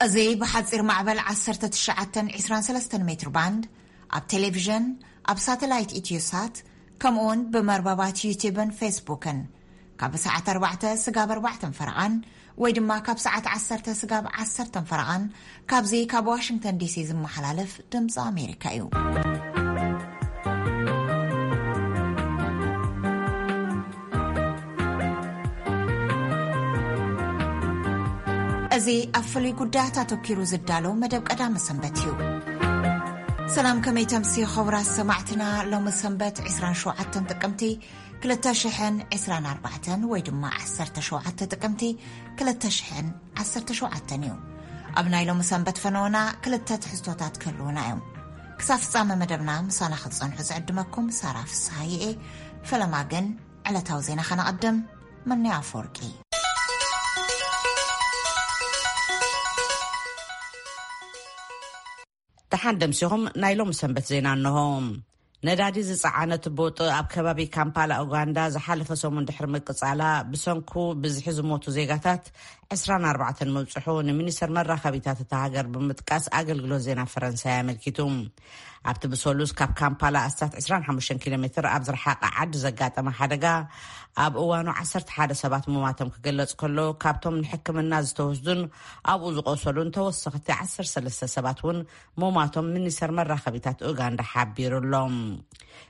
እዚ ብሓጺር ማዕበል ዓሰርተ ትሽዓተ ዕስራን ሰለስተን ሜትር ባንድ፣ ኣብ ቴሌቪዥን፣ ኣብ ሳተላይት ኢትዮሳት፣ ከምኡውን ብመርበባት ዩቲብን ፌስቡክን ካብ ሰዓት ኣርባዕተ ስጋብ ኣርባዕተን ፈረቓን ወይ ድማ ካብ ሰዓት ዓሰርተ ስጋብ ዓሰርተን ፈረቓን ካብዚ ካብ ዋሽንግተን ዲሲ ዝመሓላለፍ ድምፂ ኣሜሪካ እዩ። እዚ ኣብ ፍሉይ ጉዳያት ኣተኪሩ ዝዳሎ መደብ ቀዳመ ሰንበት እዩ። ሰላም፣ ከመይ ተምሲ ክቡራት ሰማዕትና? ሎሚ ሰንበት ዕስራን ሸውዓተን ጥቅምቲ ክልተ ሽሕን ዕስራን ኣርባዕተን ወይ ድማ ዓሰርተ ሸውዓተ ጥቅምቲ ክልተ ሽሕን ዓሰርተ ሸውዓተን እዩ። ኣብ ናይ ሎሚ ሰንበት ፈነወና ክልተ ትሕዝቶታት ክህልውና እዮም። ክሳብ ፍጻመ መደብና ምሳና ክትጸንሑ ዝዕድመኩም ሳራ ፍስሃየ እየ። ፈለማ ግን ዕለታዊ ዜና ከነቐድም። መኒ ኣፈወርቂ። ደሓን ደምሲኹም። ናይ ሎሚ ሰንበት ዜና እንሆ። ነዳዲ ዝጸዓነት ቦጥ ኣብ ከባቢ ካምፓላ ኡጋንዳ ዝሓለፈ ሰሙን ድሕሪ ምቅጻላ ብሰንኩ ብዝሒ ዝሞቱ ዜጋታት ዕስራን ኣርባዕተን ምብጽሑ ንሚኒስተር መራኸቢታት እታ ሃገር ብምጥቃስ ኣገልግሎት ዜና ፈረንሳይ ኣመልኪቱ። ኣብቲ ብሰሉስ ካብ ካምፓላ ኣስታት ዕስራን ሓሙሽተን ኪሎ ሜትር ኣብ ዝረሓቐ ዓዲ ዘጋጠመ ሓደጋ ኣብ እዋኑ ዓሰርተ ሓደ ሰባት ምማቶም ክግለጽ ከሎ፣ ካብቶም ንሕክምና ዝተወስዱን ኣብኡ ዝቆሰሉን ተወሰኽቲ ዓሰርተ ሰለስተ ሰባት እውን ምማቶም ሚኒስተር መራኸቢታት ኡጋንዳ ሓቢሩ ኣሎ።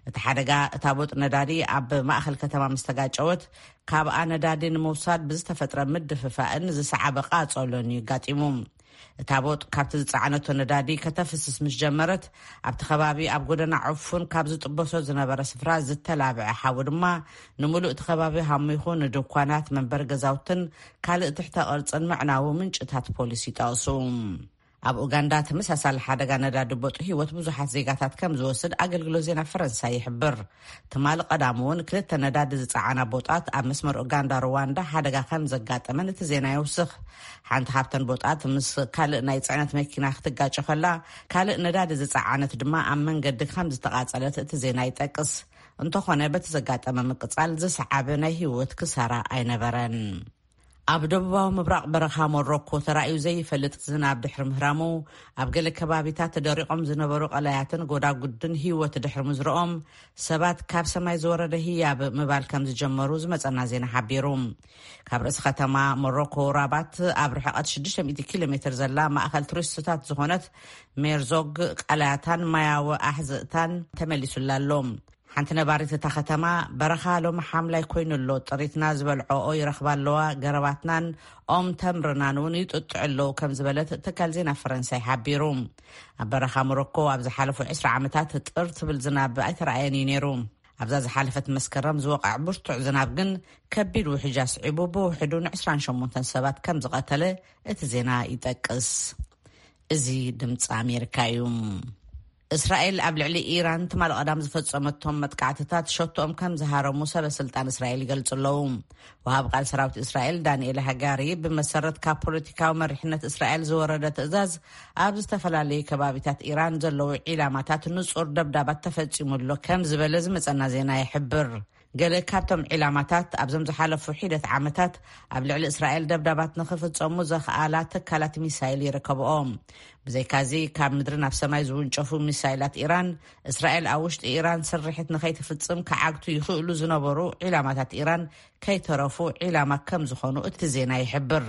እቲ ሓደጋ እታ ቦጥ ነዳዲ ኣብ ማእከል ከተማ ምስ ተጋጨወት፣ ካብኣ ነዳዲ ንምውሳድ ብዝተፈጥረ ምድፍፋእን ዝሰዓበ ቃጸሎን እዩ ኣጋጢሙ። እታ ቦጥ ካብቲ ዝጸዓነቶ ነዳዲ ከተፍስስ ምስ ጀመረት፣ ኣብቲ ከባቢ ኣብ ጎደና ዕፉን ካብ ዝጥበሶ ዝነበረ ስፍራ ዝተላብዐ ሓዊ ድማ ንምሉእ እቲ ከባቢ ሃሚኹ ንድኳናት፣ መንበሪ ገዛውትን ካልእ ትሕተ ቅርጽን ምዕናዉ ምንጭታት ፖሊስ ይጠቕሱ። ኣብ ኡጋንዳ ተመሳሳሊ ሓደጋ ነዳዲ ቦጥ ህይወት ብዙሓት ዜጋታት ከም ዝወስድ ኣገልግሎት ዜና ፈረንሳይ ይሕብር። ትማሊ ቀዳም እውን ክልተ ነዳዲ ዝጸዓና ቦጣት ኣብ መስመር ኡጋንዳ ሩዋንዳ ሓደጋ ከም ዘጋጠመን እቲ ዜና የውስኽ። ሓንቲ ካብተን ቦጣት ምስ ካልእ ናይ ጽዕነት መኪና ክትጋጨ ከላ፣ ካልእ ነዳዲ ዝጸዓነት ድማ ኣብ መንገዲ ከም ዝተቓጸለት እቲ ዜና ይጠቅስ። እንተኾነ በቲ ዘጋጠመ ምቅጻል ዝሰዓበ ናይ ህይወት ክሳራ ኣይነበረን። ኣብ ደቡባዊ ምብራቕ በረኻ ሞሮኮ ተራእዩ ዘይፈልጥ ዝናብ ድሕሪ ምህራሙ፣ ኣብ ገለ ከባቢታት ተደሪቖም ዝነበሩ ቀላያትን ጎዳጉድን ህይወት ድሕሪ ምዝርኦም፣ ሰባት ካብ ሰማይ ዝወረደ ህያብ ምባል ከም ዝጀመሩ ዝመጸና ዜና ሓቢሩ። ካብ ርእሲ ከተማ ሞሮኮ ራባት ኣብ ርሕቐት ሽዱሽተ ሚእቲ ኪሎ ሜትር ዘላ ማእከል ቱሪስትታት ዝኾነት ሜርዞግ ቀላያታን ማያዊ ኣሕዝእታን ተመሊሱላ ኣሎ። ሓንቲ ነባሪት እታ ከተማ፣ በረኻ ሎሚ ሓምላይ ኮይኑ ኣሎ፣ ጥሪትና ዝበልዖኦ ይረኽባ ኣለዋ፣ ገረባትናን ኦም ተምርናን እውን ይጥጥዑ ኣለዉ ከም ዝበለት ትካል ዜና ፈረንሳይ ሓቢሩ። ኣብ በረኻ ሞሮኮ ኣብ ዝሓለፉ ዕስራ ዓመታት ጥር ትብል ዝናብ ኣይተረኣየን እዩ ነይሩ። ኣብዛ ዝሓለፈት መስከረም ዝወቕዐ ብርቱዕ ዝናብ ግን ከቢድ ውሕጃ ስዒቡ ብውሕዱ ንዕስራን ሸሞንተን ሰባት ከም ዝቐተለ እቲ ዜና ይጠቅስ። እዚ ድምፂ ኣሜሪካ እዩ። እስራኤል ኣብ ልዕሊ ኢራን ትማሊ ቀዳም ዝፈጸመቶም መጥቃዕትታት ሸቶኦም ከም ዝሃረሙ ሰበ ስልጣን እስራኤል ይገልጹ ኣለዉ። ወሃብ ቃል ሰራዊት እስራኤል ዳንኤል ሃጋሪ፣ ብመሰረት ካብ ፖለቲካዊ መሪሕነት እስራኤል ዝወረደ ትእዛዝ፣ ኣብ ዝተፈላለዩ ከባቢታት ኢራን ዘለዉ ዒላማታት ንጹር ደብዳባት ተፈጺሙ ኣሎ ከም ዝበለ ዝመጸና ዜና ይሕብር። ገለ ካብቶም ዒላማታት ኣብዞም ዝሓለፉ ሒደት ዓመታት ኣብ ልዕሊ እስራኤል ደብዳባት ንኽፍጸሙ ዘኽኣላ ትካላት ሚሳይል ይርከብኦም። ብዘይካዚ፣ ካብ ምድሪ ናብ ሰማይ ዝውንጨፉ ሚሳይላት ኢራን፣ እስራኤል ኣብ ውሽጢ ኢራን ስርሒት ንኸይትፍጽም ክዓግቱ ይኽእሉ ዝነበሩ ዒላማታት ኢራን ከይተረፉ ዒላማ ከም ዝኾኑ እቲ ዜና ይሕብር።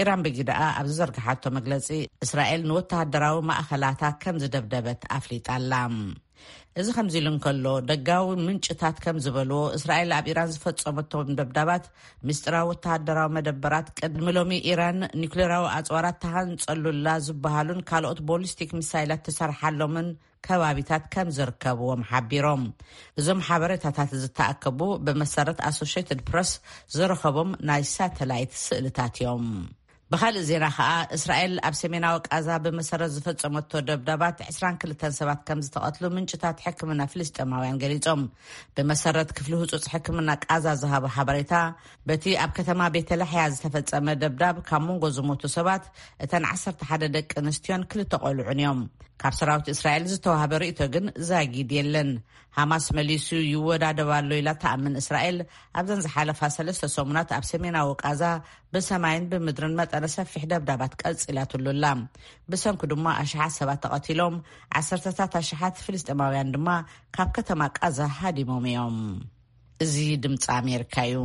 ኢራን ብግደኣ ኣብ ዝዘርግሓቶ መግለጺ፣ እስራኤል ንወተሃደራዊ ማእኸላታ ከም ዝደብደበት ኣፍሊጣ ኣላ። እዚ ከምዚ ኢሉ እንከሎ፣ ደጋዊ ምንጭታት ከም ዝበልዎ፣ እስራኤል ኣብ ኢራን ዝፈጸመቶም ደብዳባት ምስጢራዊ ወተሃደራዊ መደበራት፣ ቅድሚ ሎሚ ኢራን ኒውክሌራዊ ኣጽዋራት ተሃንጸሉላ ዝበሃሉን ካልኦት ቦሊስቲክ ሚሳይላት ትሰርሓሎምን ከባቢታት ከም ዝርከብዎም ሓቢሮም። እዞም ሓበሬታታት ዝተኣከቡ ብመሰረት ኣሶሽየትድ ፕረስ ዝረኸቦም ናይ ሳተላይት ስእልታት እዮም። ብኻልእ ዜና ኸኣ፣ እስራኤል ኣብ ሰሜናዊ ቃዛ ብመሰረት ዝፈጸመቶ ደብዳባት ዕስራን ክልተን ሰባት ከም ዝተቐትሉ ምንጭታት ሕክምና ፍልስጤማውያን ገሊጾም። ብመሰረት ክፍሊ ህጹጽ ሕክምና ቃዛ ዝሃቦ ሓበሬታ፣ በቲ ኣብ ከተማ ቤተላሕያ ዝተፈጸመ ደብዳብ ካብ መንጎ ዝሞቱ ሰባት እተን ዓሰርተ ሓደ ደቂ ኣንስትዮን ክልተ ቆልዑን እዮም። ካብ ሰራዊት እስራኤል ዝተዋህበ ርእይቶ ግን ዛጊድ የለን። ሃማስ መሊሱ ይወዳደብ ኣሎ ኢላ ትኣምን እስራኤል፣ ኣብዘን ዝሓለፋ ሰለስተ ሰሙናት ኣብ ሰሜናዊ ቃዛ ብሰማይን ብምድርን መጠነ ሰፊሕ ደብዳባት ቀጺላትሉ ኣላ። ብሰንኩ ድማ ኣሽሓት ሰባት ተቐቲሎም፣ ዓሰርተታት ኣሽሓት ፍልስጤማውያን ድማ ካብ ከተማ ቃዛ ሃዲሞም እዮም። እዚ ድምፂ ኣሜሪካ እዩ።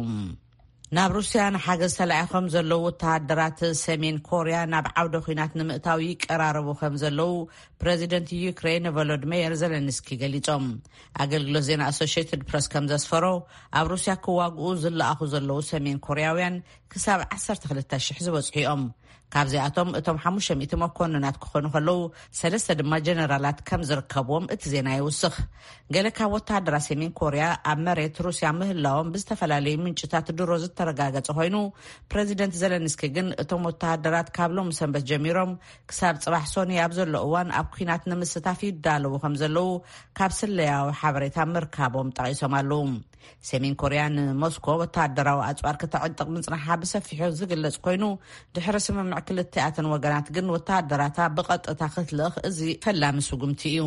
ናብ ሩስያ ንሓገዝ ተላኢኾም ዘለዉ ወተሃደራት ሰሜን ኮርያ ናብ ዓውደ ኲናት ንምእታው ይቀራረቡ ከም ዘለዉ ፕረዚደንት ዩክሬን ቮሎድሜየር ዘለንስኪ ገሊጾም። ኣገልግሎት ዜና ኣሶሽየትድ ፕረስ ከም ዘስፈሮ፣ ኣብ ሩስያ ክዋግኡ ዝለኣኹ ዘለዉ ሰሜን ኮርያውያን ክሳብ ዓሰርተ ክልተ ሽሕ ዝበጽሑ እዮም። ካብዚኣቶም እቶም ሓሙሽተ ሚእቲ መኮንናት ክኾኑ ከለዉ፣ ሰለስተ ድማ ጀነራላት ከም ዝርከብዎም እቲ ዜና ይውስኽ። ገለ ካብ ወተሃደራት ሰሜን ኮርያ ኣብ መሬት ሩስያ ምህላዎም ብዝተፈላለዩ ምንጭታት ድሮ ዝተረጋገጸ ኮይኑ፣ ፕረዚደንት ዘለንስኪ ግን እቶም ወተሃደራት ካብ ሎም ሰንበት ጀሚሮም ክሳብ ጽባሕ ሶኒ ኣብ ዘሎ እዋን ኣብ ኲናት ንምስታፍ ይዳለዉ ከም ዘለዉ ካብ ስለያዊ ሓበሬታ ምርካቦም ጠቒሶም ኣለዉ። ሰሜን ኮርያ ንሞስኮ ወተሃደራዊ ኣጽዋር ከተዕጥቕ ምጽናሓ ብሰፊሑ ዝግለጽ ኮይኑ፣ ድሕሪ ስምምዕ ክልቲኣተን ወገናት ግን ወተሃደራታ ብቐጥታ ክትልእኽ እዚ ፈላሚ ስጉምቲ እዩ።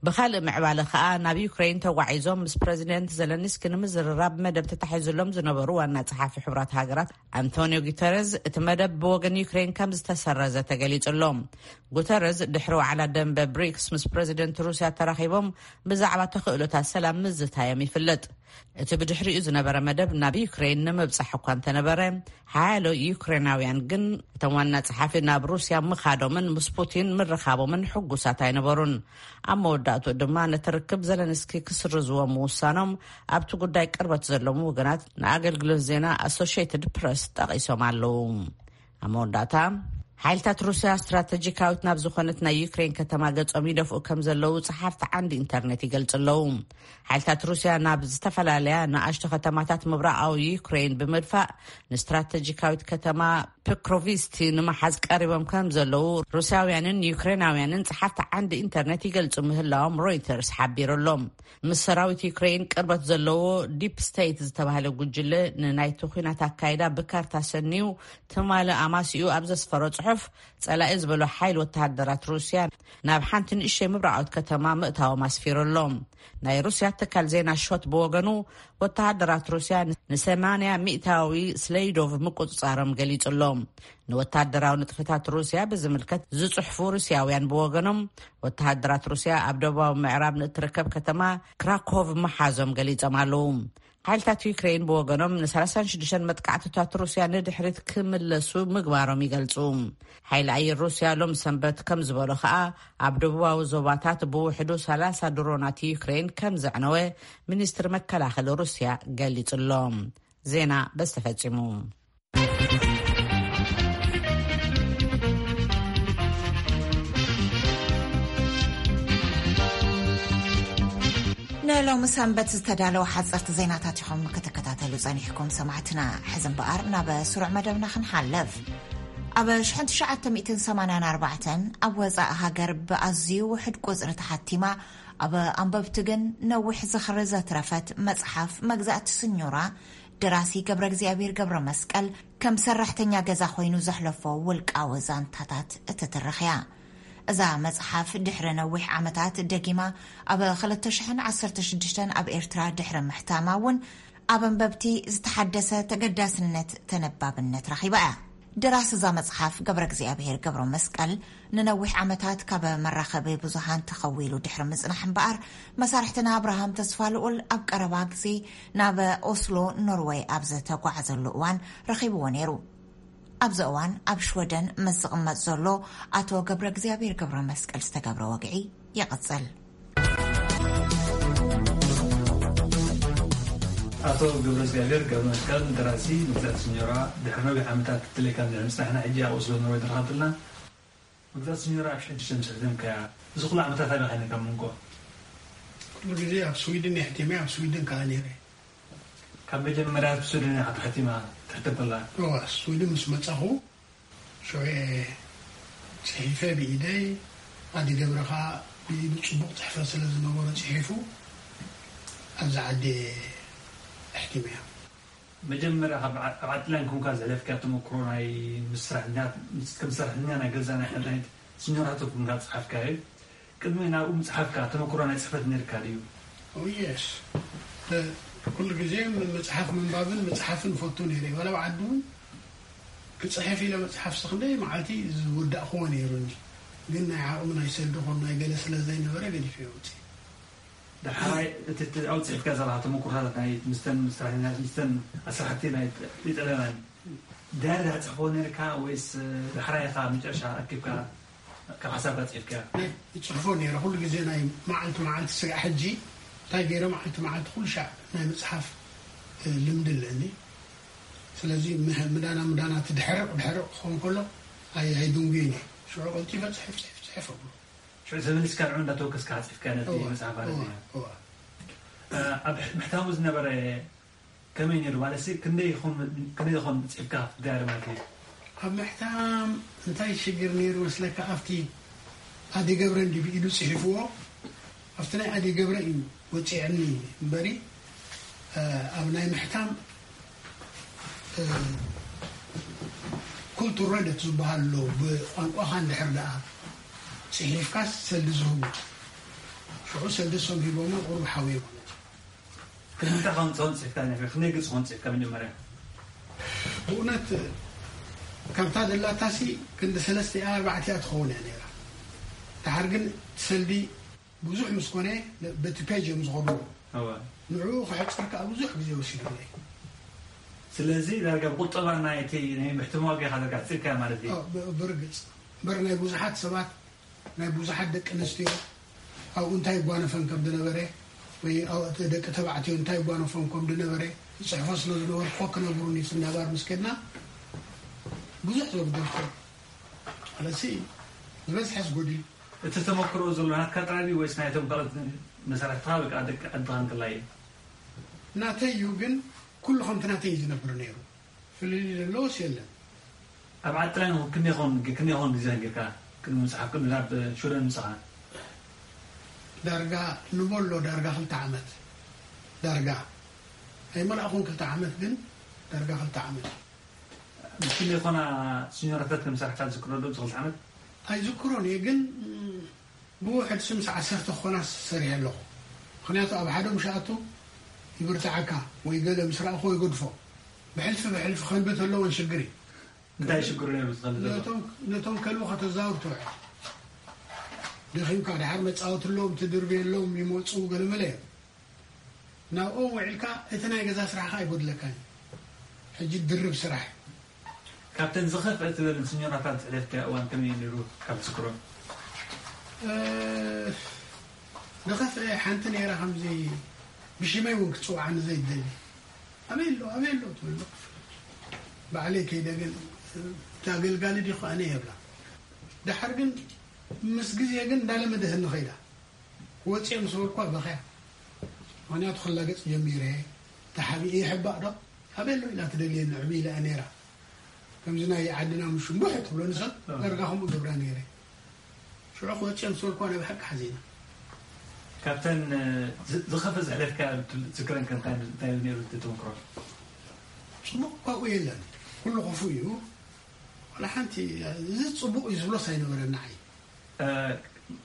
ብኻልእ ምዕባለ ከኣ ናብ ዩክሬን ተጓዒዞም ምስ ፕረዚደንት ዘለንስኪ ንምዝርራብ መደብ ተታሒዙሎም ዝነበሩ ዋና ጸሓፊ ሕቡራት ሃገራት ኣንቶኒዮ ጉተረዝ፣ እቲ መደብ ብወገን ዩክሬን ከም ዝተሰረዘ ተገሊጹ ኣሎ። ጉተረዝ ድሕሪ ዋዕላ ደንበ ብሪክስ ምስ ፕረዚደንት ሩስያ ተራኺቦም ብዛዕባ ተኽእሎታት ሰላም ምዝታዮም ይፍለጥ። እቲ ብድሕሪኡ ዝነበረ መደብ ናብ ዩክሬን ንምብጻሕ እኳ እንተነበረ፣ ሓያሎ ዩክሬናውያን ግን እቶም ዋና ጸሓፊ ናብ ሩስያ ምኻዶምን ምስ ፑቲን ምርኻቦምን ሕጉሳት ኣይነበሩን። ኣብ መወዳእትኡ ድማ ነቲ ርክብ ዘለንስኪ ክስርዝዎ ምውሳኖም ኣብቲ ጉዳይ ቅርበት ዘለዎም ወገናት ንኣገልግሎት ዜና ኣሶሽየትድ ፕረስ ጠቒሶም ኣለዉ። ኣብ መወዳእታ፣ ሓይልታት ሩስያ ስትራተጂካዊት ናብ ዝኾነት ናይ ዩክሬን ከተማ ገጾም ይደፍኡ ከም ዘለዉ ጸሓፍቲ ዓንዲ ኢንተርኔት ይገልጹ ኣለዉ። ሓይልታት ሩስያ ናብ ዝተፈላለያ ንኣሽቱ ከተማታት ምብራቓዊ ዩክሬን ብምድፋእ ንስትራተጂካዊት ከተማ ፖክሮቪስቲ ንምሓዝ ቀሪቦም ከም ዘለዉ ሩስያውያንን ዩክሬናውያንን ጸሓፍቲ ዓንዲ ኢንተርኔት ይገልጹ ምህላዎም ሮይተርስ ሓቢሩ ኣሎ። ምስ ሰራዊት ዩክሬን ቅርበት ዘለዎ ዲፕ ስቴት ዝተባህለ ጉጅለ ንናይቲ ኲናት ኣካይዳ ብካርታ ሰኒዩ ትማሊ ኣማሲኡ ኣብ ዘስፈሮ ጽሑፍ፣ ጸላኢ ዝበሎ ሓይል ወተሃደራት ሩስያ ናብ ሓንቲ ንእሽተይ ምብራቓዊት ከተማ ምእታዎም ኣስፊሩ ኣሎ። ናይ ሩስያ ትካል ዜና ሾት ብወገኑ፣ ወተሃደራት ሩስያ ንሰማንያ ሚእታዊ ስሌይዶቭ ምቁጽጻሮም ገሊጹ ኣሎ። ንወተሃደራዊ ንጥፈታት ሩስያ ብዝምልከት ዝጽሕፉ ሩስያውያን ብወገኖም፣ ወተሃደራት ሩስያ ኣብ ደቡባዊ ምዕራብ ንእትርከብ ከተማ ክራኮቭ ምሓዞም ገሊጾም ኣለዉ። ሓይልታት ዩክሬን ብወገኖም ን ሰላሳን ሽዱሽተን መጥቃዕትታት ሩስያ ንድሕሪት ክምለሱ ምግባሮም ይገልጹ። ሓይሊ ኣየር ሩስያ ሎም ሰንበት ከም ዝበሎ ከኣ፣ ኣብ ደቡባዊ ዞባታት ብውሕዱ ሰላሳ ድሮናት ዩክሬን ከም ዘዕነወ ሚኒስትሪ መከላኸሊ ሩስያ ገሊጹ ኣሎ። ዜና በዚ ተፈጺሙ። ንሎሚ ሰንበት ዝተዳለወ ሓጸርቲ ዜናታት ኢኹም ክትከታተሉ ጸኒሕኩም ሰማዕትና። ሕዚ እምበኣር ናብ ስሩዕ መደብና ክንሓልፍ። ኣብ ሽሕን ትሽዓተ ሚእትን ሰማንያን ኣርባዕተን ኣብ ወጻኢ ሃገር ብኣዝዩ ውሕድ ቁጽሪ ተሓቲማ፣ ኣብ ኣንበብቲ ግን ነዊሕ ዝኽሪ ዘትረፈት መጽሓፍ መግዛእቲ ስኞራ ደራሲ ገብረ እግዚኣብሔር ገብረ መስቀል ከም ሰራሕተኛ ገዛ ኮይኑ ዘሕለፎ ውልቃዊ ዛንታታት እትትርኽ እያ። እዛ መጽሓፍ ድሕሪ ነዊሕ ዓመታት ደጊማ ኣብ ክልተ ሽሕን ዓሰርተ ሽዱሽተን ኣብ ኤርትራ ድሕሪ ምሕታማ እውን ኣብ ኣንበብቲ ዝተሓደሰ ተገዳስነት ተነባብነት ረኺባ እያ። ደራሲ እዛ መጽሓፍ ገብረ እግዚኣብሔር ገብረ መስቀል ንነዊሕ ዓመታት ካብ መራኸቢ ብዙሃን ተኸዊሉ ድሕሪ ምጽናሕ እምበኣር፣ መሳርሕትና ኣብርሃም ተስፋልኡል ኣብ ቀረባ ግዜ ናብ ኦስሎ ኖርወይ ኣብ ዝተጓዓዘሉ እዋን ረኺብዎ ነይሩ። ኣብዚ እዋን ኣብ ሽወደን ምስ ዝቕመጥ ዘሎ ኣቶ ገብረ እግዚኣብሔር ገብረ መስቀል ዝተገብረ ወግዒ ይቕጽል። ኣቶ ገብረ እግዚኣብሔር ገብረ መስቀል፣ ደራሲ መግዛእቲ ስኞራ፣ ድሕሪ ነዊሕ ዓመታት ትለካ ምጽናሕና ሕጂ ኣብ ኦስሎ ኖርወይ ተረኻብትና። መግዛእቲ ስኞራ ኣብ ሽሕን ትሽዓተ ሚእትን ሰለስተ ከያ፣ እዚ ኩሉ ዓመታት ኣበይ ኸይነ ካብ መንጎ? ኩሉ ግዜ ኣብ ስዊድን የሕቲመ፣ ኣብ ስዊድን ከኣ ነይረ። ካብ መጀመርያ ኣብ ስዊድን እያ ተሓቲማ ትሕተበላ? እዋ፣ ስዊድን ምስ መጻኹ፣ ሽዑ እየ ጽሒፈ ብኢደይ፣ ኣዲ ገብረ ከኣ ብኢዱ ጽቡቕ ጽሕፈት ስለ ዝነበሮ ጽሒፉ ኣብዛ ዓዲ ኣሕቲመያ። መጀመርያ ካብ ዓ-፣ ኣብ ዓድላንድ ኮንካ ዘሕለፍካዮ ተመክሮ ናይ ምስ ሰራሕተኛ-፣ ምስ፣ ከም ሰራሕተኛ ናይ ገዛ ናይ ሓንቲ ዓይነት ስኞራቶ ኮንካ ዝጸሓፍካዮ፣ ቅድሚ ናብኡ ምጽሓፍካ ተመክሮ ናይ ጽሕፈት ነይርካ ድዩ? ኦ፣ የስ። እ፣ ኩሉ ግዜ ም-፣ መጽሓፍ ምንባብን ምጽሓፍን እፈቱ ነይረ። ዋላ ኣብ ዓዲ እውን ክጽሕፍ ኢለ መጽሓፍሲ ክንደይ መዓልቲ ዝወዳእክዎ ነይሩኒ። ግን ናይ ዓቕሚ ናይ ሰልዲ ኾን ናይ ገለ ስለ ዘይነበረ ገዲፈ የውፅእ። ዳሕራይ እቲ እቲ ኣብኡ ጽሒፍካ ዘለኻ ተመኩሮታት ናይ ምስተን ሰራሕተኛታት ምስተን ኣስራሕቲ ናይ ኢጣልያውያን ዳያሪ ዲኻ ትጽሕፎ ነርካ ወይስ ዳሕራይ ኢኻ መጨረሻ ኣኪብካ ካብ ሓሳብካ ጽሒፍካ? ይጽሕፎ ነይረ ኩሉ ግዜ ናይ መዓልቲ መዓልቲ ስጋዕ ሕጂ እንታይ ገይረ መዓልቲ መዓልቲ ኩሉ ሻዕ ናይ ምጽሓፍ ልምዲ ኣለኒ። ስለዚ ምዳና ምዳና እቲ ድሕርቕ ድሕርቕ ክኸውን ከሎ ኣይድንጉይን እየ። ሽዑ ቀልጢፈ ጽሕፍ ጽሕፍ ጽሕፍ እብሎ። ሽዑ ተመሊስካ ንዑ እንዳተወከስካ ጽሒፍካ ነቲ መጽሓፍ ማለት እዩ። ኣብ ምሕታሙ ዝነበረ ከመይ ነይሩ ማለት ሲ ክንደይ ይኾን ክንደይ ይኾን ጽሒፍካ ኣብቲ ዳያሪ ማለት እዩ? ኣብ ምሕታም እንታይ ሽግር ነይሩ መስለካ ኣብቲ ኣዲ ገብረ እንዲ ብኢዱ ጽሒፍዎ ኣብቲ ናይ ኣዲ ገብረ እዩ ወጺዕኒ እምበሪ ኣብ ናይ ምሕታም ኩልቱር ረደት ዝበሃል ኣሎ ብቋንቋኻ እንድሕር ደኣ ጽሒፍካስ ሰልዲ ዝህቡ ሽዑ ሰልዲ ሶም ሂቦሞ ቁሩብ ሓውዮ ማለት እዩ። ክንዲ ከምፅኦን ፅሒፍካ ነፊ ክንደይ ገፅ ኾን ፅሒፍካ መጀመርያ? ብእውነት ካብታ ደላታሲ ክንዲ ሰለስተ ኣርባዕተ እያ ትኸውን እያ ነይራ። ድሓር ግን እቲ ሰልዲ ብዙሕ ምስ ኮነ በቲ ፔጅ እዮም ዝኸዱ። እወ። ንዕኡ ክሕፅር ከዓ ብዙሕ ግዜ ወሲዱለይ። ስለዚ ዳርጋ ብቁጠባ ናይ እቲ ናይ ምሕትም ዋጋ ኢኻ ዳርጋ ሕፂርካያ ማለት እዩ። ብ- ብርግፅ እምበር ናይ ብዙሓት ሰባት ናይ ብዙሓት ደቂ ኣንስትዮ ኣብኡ እንታይ ይጓነፈን ከም ዝነበረ ወይ ደቂ ተባዕትዮ እንታይ ይጓነፎም ከም ዝነበረ ይፅሕፎ ስለ ዝነበርኩ ክነግሩኒ ስናባር ምስ ከድና ብዙሕ ዘጉደልኩ ኣለሲ ዝበዝሐስ ጎዲሉ። እቲ ተመክሮ ዘሎ ናትካ ጥራይ ድዩ ወይስ ናይቶም ካልኦት መሳርሕትኻ ወይ ከዓ ደቂ ዓድኻ እንከላይ እዩ? ናተይ እዩ ግን ኩሉ ከምቲ ናተይ እዩ ዝነብር ነይሩ። ፍልልይ ዘለዎስ የለን። ኣብ ዓዲ ጥራይ ክንደይ ኾን ክንደይ ኾን ግዜ ነጊርካ ቅድሚ ምጽሓፍ ቅድሚ ናብ ሽወደን ምጻኻ? ዳርጋ ንበሎ ዳርጋ ክልተ ዓመት ዳርጋ ኣይመላእኹን ክልተ ዓመት ግን ዳርጋ ክልተ ዓመት። ምስ ክንደይ ኾና ሲኞራታት ከም ዝሰራሕካ ትዝክሮ ዶ? እዚ ክልተ ዓመት? ኣይዝክሮን እየ ግን ብውሕድ ስምስ ዓሰርተ ክኾና ሰሪሐ ኣለኹ። ምኽንያቱ ኣብ ሓደ ምሽ ኣቱ ይብርትዓካ ወይ ገለ ምስ ረኣኹዎ ይገድፎ። ብሕልፊ ብሕልፊ ከንብት ኣለዎን ሽግር እዩ። እንታይ ሽግሩ ነይሩ ዝኸልእ ዘሎ? ነቶም ነቶም ከልቢ ከተዛውር ትውዕል። ደኺምካ ድሓር መጻወትሎም ትድርብየሎም ይመጹ ገለመለ እዮም። ናብኦም ውዒልካ እቲ ናይ ገዛ ስራሕኻ ኣይጎድለካን እዩ። ሕጂ ድርብ ስራሕ እዩ። ካብተን ዝኸፍአ ትበልን ስኞራታት ዘሕለፍካዮ እዋን ከመይ እዩ ነይሩ ካብ ትዝክሮ? ዝኸፍአ ሓንቲ ነይራ ከምዚ ብሽመይ እውን ክትፅውዓኒ ዘይትደሊ ኣበይ ኣሎ ኣበይ ኣሎ ትብሎ ባዕለይ ከይደ ግን እቲ ኣገልጋሊ ዲኹ ኣነ የብላ ድሓር ግን ምስ ግዜ ግን እንዳለመደትኒ ኸይዳ ክወፅኦ ምስ በልኳ በኸያ ምኽንያቱ ክላገፅ ጀሚረ ተሓቢኤ ይሕባእ ዶ ኣበይ ኣሎ ኢላ ትደልየኒ ዕብይ ኢላ ነይራ ከምዚ ናይ ዓድና ምሹምቡሕ ትብሎ ንሰብ ዳርጋ ከምኡ ገብራ ነይረ ሽዑ ክወፅኦ ምስ በልኳ ናይ ብሓቂ ሓዚና ካብተን ዝኸፈ ዘሕለፍካ ዝክረን ከ እንታይ እንታይ ነይሩ እቲ ተመክሮ ፅቡቕ ካብኡ የለን ኩሉ ክፉእ እዩ ዋላ ሓንቲ እዚ ፅቡቕ እዩ ዝብሎስ ኣይነበረና ዓይ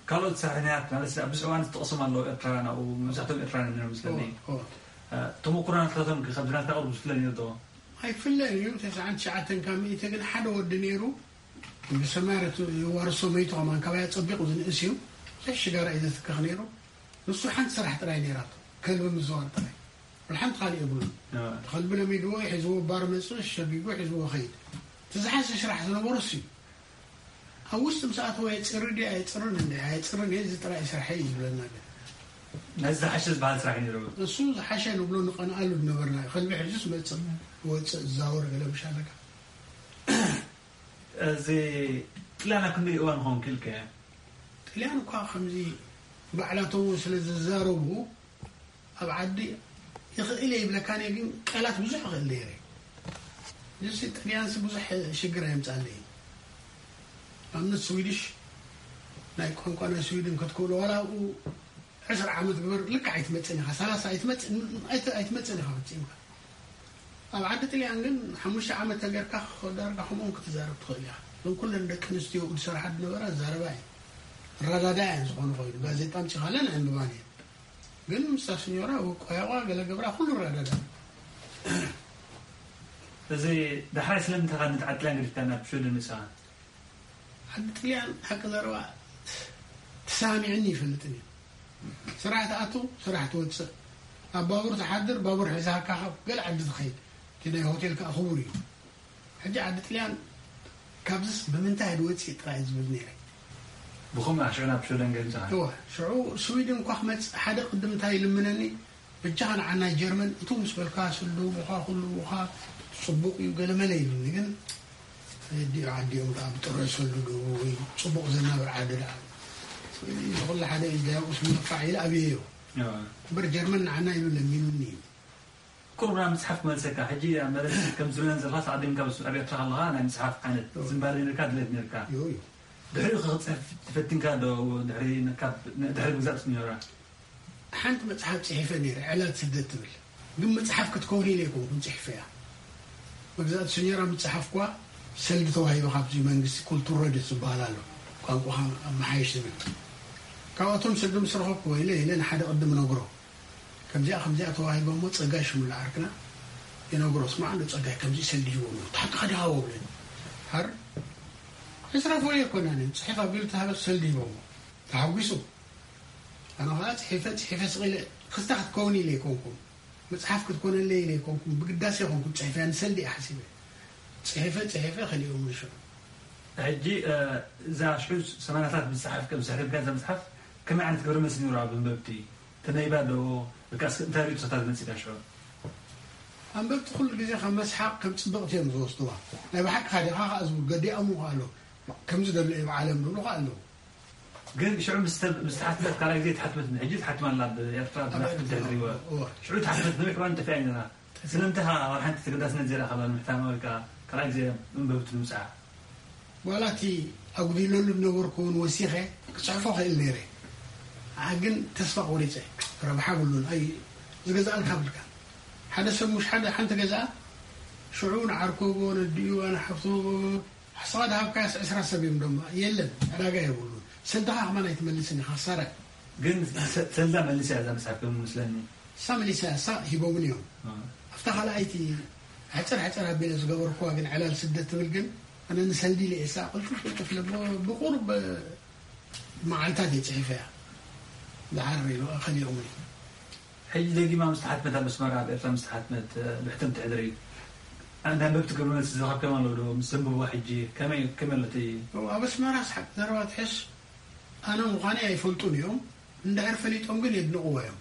ካልኦት ሰራሕተኛታት ማለት ኣብ ብዙሕ እዋን ዝጠቕሶም ኣለዉ ኤርትራውያን ኣብኡ መብዛሕትኦም ኤርትራውያን እዮም መስለኒ ተመኩሮ ናትካቶም ከ ካብዚ ናትካ ቅርብ ዝፍለ ነይሩ ዶ ኣይፍለን እዩ ተስዓን ትሽዓተን ካብ ሚእቲ ግን ሓደ ወዲ ነይሩ ብሰማርያ የዋርሶ መይቱ ከማን ካባይ ኣፀቢቑ ዝንእስ እዩ ብዙሕ ሽጋራ እዩ ዘትክኽ ነይሩ ንሱ ሓንቲ ስራሕ ጥራይ ነይራቶ ከልቢ ምዝዋር ጥራይ ወላ ሓንቲ ካልእ የብሉን እቲ ከልቢ ለሚድዎ ሒዝዎ ባር መፅእ ሸጊጉ ሒዝዎ ኸይድ እቲ ዝሓሸ ስራሕ ዝነበሮ እሱ እዩ ኣብ ውሽጢ ምስ ኣተወ የፅሪ ድዩ ኣየፅርን እንደ ኣየፅርን እየ እዚ ጥራይ ስርሐይ እዩ ዝብለና ግን ነዚ ዝሓሸ ዝበሃል ስራሕ እዩ ነይሩ እሱ ዝሓሸ ንብሎ ንቐንኣሉ ዝነበርና እዩ ከልቢ ሕዚ ዝመፅእ ወፅእ ዝዛወር ገለ ምሽ ኣለካ እዚ ጥልያን ኣብ ክንደይ እዋን ኸውን ክኢልከ ጥልያን እኳ ከምዚ ባዕላቶም እውን ስለ ዝዛረቡ ኣብ ዓዲ ይኽእል እየ ይብለካን እየ ግን ቃላት ብዙሕ ይኽእል ነይረ ንስ ጥልያንስ ብዙሕ ሽግር ኣየምፃለይ ኣብነት ስዊድሽ ናይ ቋንቋ ናይ ስዊድን ክትክእሎ ዋላ ኣብኡ ዕስራ ዓመት ግበር ልክዕ ኣይትመፅን ኢኻ ሰላሳ ኣይትመፅን ኢኻ ፈፂምካ ኣብ ዓዲ ጥልያን ግን ሓሙሽተ ዓመት ተገርካ ዳርጋ ከምኦም ክትዛረብ ትኽእል ኢኻ እዞም ኩለን ደቂ ኣንስትዮ ዝሰርሓ ዝነበራ ዛረባ እየን ረዳዳ እየን ዝኾኑ ኮይኑ ጋዜጣ ኣምፂኻለን ኣንብባን እየን ግን ምስታ ስኞራ ቆያቋ ገለ ገብራ ኩሉ ረዳዳ እዚ ዳሕራይ ስለምንታይ ካብ ንትዓት ጥልያን ገዲፍካ ናብ ሽወደን መጺኻ? ዓዲ ጥልያን ሓቂ ዘረባ ተሰማሚዕኒ ይፈልጥን እዩ። ስራሕ ትኣቱ፣ ስራሕ ትወፅእ። ኣብ ባቡር ትሓድር፣ ባቡር ሒዛካ ካብ ገለ ዓዲ ትኸይድ። እቲ ናይ ሆቴል ከዓ ክቡር እዩ። ሕጂ ዓዲ ጥልያን ካብዝስ ብምንታይ ድወፅእ ጥራይ ዝብል ነይረ። ብኸምኡ ሽዑ ናብ ሽወደን ገይሩ ዝኸደ። እወ፣ ሽዑ ስዊድን እኳ ክመፅእ ሓደ ቅድም እንታይ ይልምነኒ፣ በጃኻ ንዓናይ ጀርመን እቱ ምስ በልካ ስልድህቡኻ ክልውኻ ፅቡቕ እዩ ገለመለ ኢሉኒ። ግን ኣዲኡ ዓዲኦም ከዓ ብጥረ ሰልድህቡ ወይ ፅቡቕ ዘናብር ዓዲ ደኣ እዚ ኩሉ ሓደ እዩ፣ ዳያውስ ምንፋዕ ኢለ ኣብየዮ። እምበር ጀርመን ንዓና ኢሉ ለሚኑኒ እዩ። ቁሩብ ናብ ምፅሓፍ ክመልሰካ። ሕጂ ኣብ መለስ ከም ዝብለን ዘለኻስ ዓዲምካ ኣብ ኤርትራ ከለኻ ናይ ምፅሓፍ ዓይነት ዝንባለ ነርካ፣ ድሌት ነርካ። እዩ፣ እዩ። ድሕሪኡ ክፅሕፍ ትፈቲንካ ዶ? ድሕሪ ካብ ድሕሪ ምግዛእ ስኒዮራ ሓንቲ መፅሓፍ ፅሒፈ ነይረ፣ ዕላል ስደት ትብል። ግን መፅሓፍ ክትከውን ኢለ ኣይኮንኩን ፅሒፈያ። መግዛእቲ ስኒዮራ ምፅሓፍኳ ሰልዲ ተዋሂቡ ካብዚ መንግስቲ ኩልቱር ረድት ዝበሃል ኣሎ፣ ቋንቋኻ ኣመሓይሽ ዝብል። ካብኣቶም ሰልዲ ምስ ረኸብኩ ኢለ ኢለ ንሓደ ቅድም ነግሮ። ከምዚኣ ከምዚኣ ተዋሂቦ እሞ ፀጋይ ሽሙላ ዓርክና ይነግሮ፣ ስማዕ እንዶ ፀጋይ ከምዚ ሰልዲ ሂቦም፣ ታሕቲ ከዲኻ ወብለን። ሃር ዕስራ ፎልዮ ኣይኮናን፣ ፅሒፍ ኣቢሉ ተሃበ ሰልዲ ሂቦሞ። ተሓጒሱ። ኣነ ኸዓ ፅሒፈ ፅሒፈ ስቕ ኢለ ክስታ ክትከውን ኢለ ኣይኮንኩን፣ መፅሓፍ ክትኮነለይ ኢለ ኣይኮንኩን፣ ብግዳሰ ኣይኮንኩን ፅሒፈያ፣ ንሰልዲ እየ ሓሲበ። ፅሒፈ ፅሒፈ ከሊኦም ንሽዑ። ሕጂ እዛ ሽዑ ሰማንያታት ዝፀሓፍካ፣ ዝሰሕተልካ እዛ መፅሓፍ ከመይ ዓይነት ግብረ መልሲ ነይሩ ኣብ ኣንበብቲ? ተነይባ ዶ? ወይከኣስ እንታይ ርእይቶታት መፂእካ ሽዑ? ኣንበብቲ ኩሉ ግዜ ካብ መስሓቕ ከም ፅብቕቲ እዮም ዝወስድዋ። ናይ ብሓቅኻ ዲኻ ከዓ ዝብል ገዲኣሙ ኣሎ። ከምዚ ደሎ እዩ ብዓለም ዝብሉ ከዓ ኣለዉ። ግን ሽዑ ምስ ተ-፣ ምስ ተሓትመት ካልኣይ ግዜ ተሓትመት፣ ሕጂ ተሓትማ ኣላ ኣብ ኤርትራ ኣብ ብናፍቲ ኤርትራ፣ ድሕሪዎ። እወ። ሽዑ ተሓትመት ነዊሕ እዋን ጠፊኣ ነይራ። ስለምንታይ ከዓ ኣብ ሓንቲ ተገዳስነት ዘይረኣኻላ ንምሕታማ ወይ ከዓ ካልኣይ ግዜ ኣንበብቲ ንምብፅሓ? ዋላ እቲ ኣጉዲለሉ ዝነበርኩ እውን ወሲኸ ክፅሕፎ ክእል ነይረ። ኣነ ግን ተስፋ ቆሪፀ። ረብሓ ብሉን። ኣይ ዝገዝኣልካ ብልካ። ሓደ ሰብ ምሽ ሓደ ሓንቲ ገዛ ሽዑ ንዓርኮ ነዲኡ ኣነ ሓፍቶ ኣስኻ ድሃብካያስ ዕስራ ሰብ እዮም ደማ። የለን፣ ዕዳጋ የብሉን። ሰልድኻ ከማን ኣይትመልስን ኢኻ፣ ክሳራ። ግን ሰ-፣ ሰልዳ መሊሳ እያ እዛ መጽሓፍ ከም መስለኒ። እሳ መሊሳ እያ፣ እሳ ሂቦምን እዮም። እ። ኣብታ ካልኣይቲ ሕጽር ሕጽር ኣቢለ ዝገበርኩዋ ግን ዕላል ስደት ትብል ግን ኣነ ንሰልዲ ኢለ እየ እሳ ቅልጥፍ ቅልጥፍ ኢለ ብ-፣ ብቁሩብ መዓልታት እየ ጽሒፈያ። ደሓር ኢሉ ከሊኦምን እዩ። ሕጂ ደጊማ ምስ ተሓትመት ኣብ ኣስመራ፣ ኣብ ኤርትራ ምስ ተሓትመት፣ እ፣ ብሕትም ትሕድሪ፣ ኣንዳ ኣንበብቲ ግብረ መልሲ ዝረኸብክዮም ኣለዉ ዶ? ምስ ዘንብብዋ ሕጂ ከመይ፣ ከመይ ኣሎ እቲ እው፣ ኣብ ኣስመራ ስሓቅ ዘረባ ትሕሽ ኣነ ምዃነይ ኣይፈልጡን እዮም። እንድሕር ፈሊጦም ግን የድንቕዎ እዮም።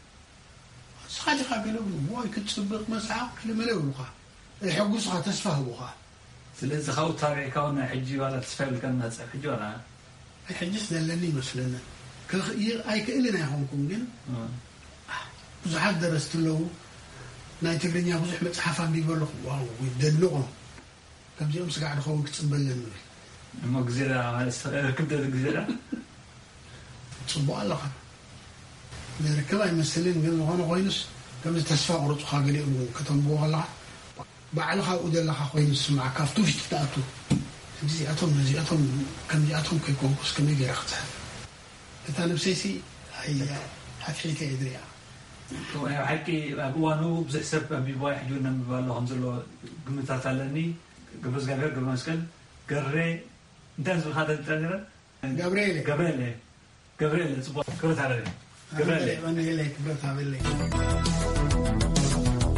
ንስኻ ዲኻ ገለ ብሉ፣ "ዎይ ክትጽብቕ መጽሓፍ" ገለ መለ ይብሉኻ። የሐጉሱኻ፣ ተስፋ ህቡኻ። ስለዚ ካብኡ ታቢዕካ እውን ናይ ሕጂ ዋላ ተስፋ የብልካን እናትጽሕፍ ሕጂ ዋላ? ኣይ ሕጂስ ዘለኒ ይመስለኒ። ክኽ-፣ ይ-፣ ኣይክእልን ኣይኾንኩን ግን፣ እ። ብዙሓት ደረስቲ ኣለዉ። ናይ ትግርኛ ብዙሕ መጽሓፍ ኣንቢበ ኣለኹ። ዋው፣ ደድንቖም። ከምዚኦም ስጋዕ ድኸውን ክጽበ ኣለኒ። እሞ ግዜ ዳ ማለት ርክብ ደ ግዜ ዳ? ጽቡቕ ኣለኻ። ዘርክብ ኣይመስልን፣ ግን ዝኾነ ኮይኑስ፣ ከምዚ ተስፋ ቁርጹኻ ገሊኦም ከተንብቦ ከለኻ፣ ባዕልኻ ኣብኡ ዘለኻ ኮይኑ ዝስምዓካ፣ ኣብቲ ውሽጢ ትኣቱ። እዚኣቶም ነዚኣቶም ከምዚኣቶም ከይኮንኩስ ከመይ ገይረ ክጽሕፍ? እታ ነብሰይሲ ኣይ-፣ ኣትሒተ እየ ዝሪኣ። እቶም ናይ ብሓቂ ኣብ እዋኑ ብዙሕ ሰብ ኣንቢብዋ፣ ሕጂ እውን ነንብባ ኣሎ ከም ዘሎ ግምታት ኣለኒ። ገብረ እግዚኣብሔር ገብረ መስቀል ገሬ፣ እንታይ ዝብልካ ተንጥረ ነይረ? ገብርኤል። ገብርኤል። ገብርኤል፣ ጽቡቕ። ክብረት ሃበለይ። ገብርኤል። ገብርኤል፣ ገብርኤል፣ ክብረት ሃበለይ።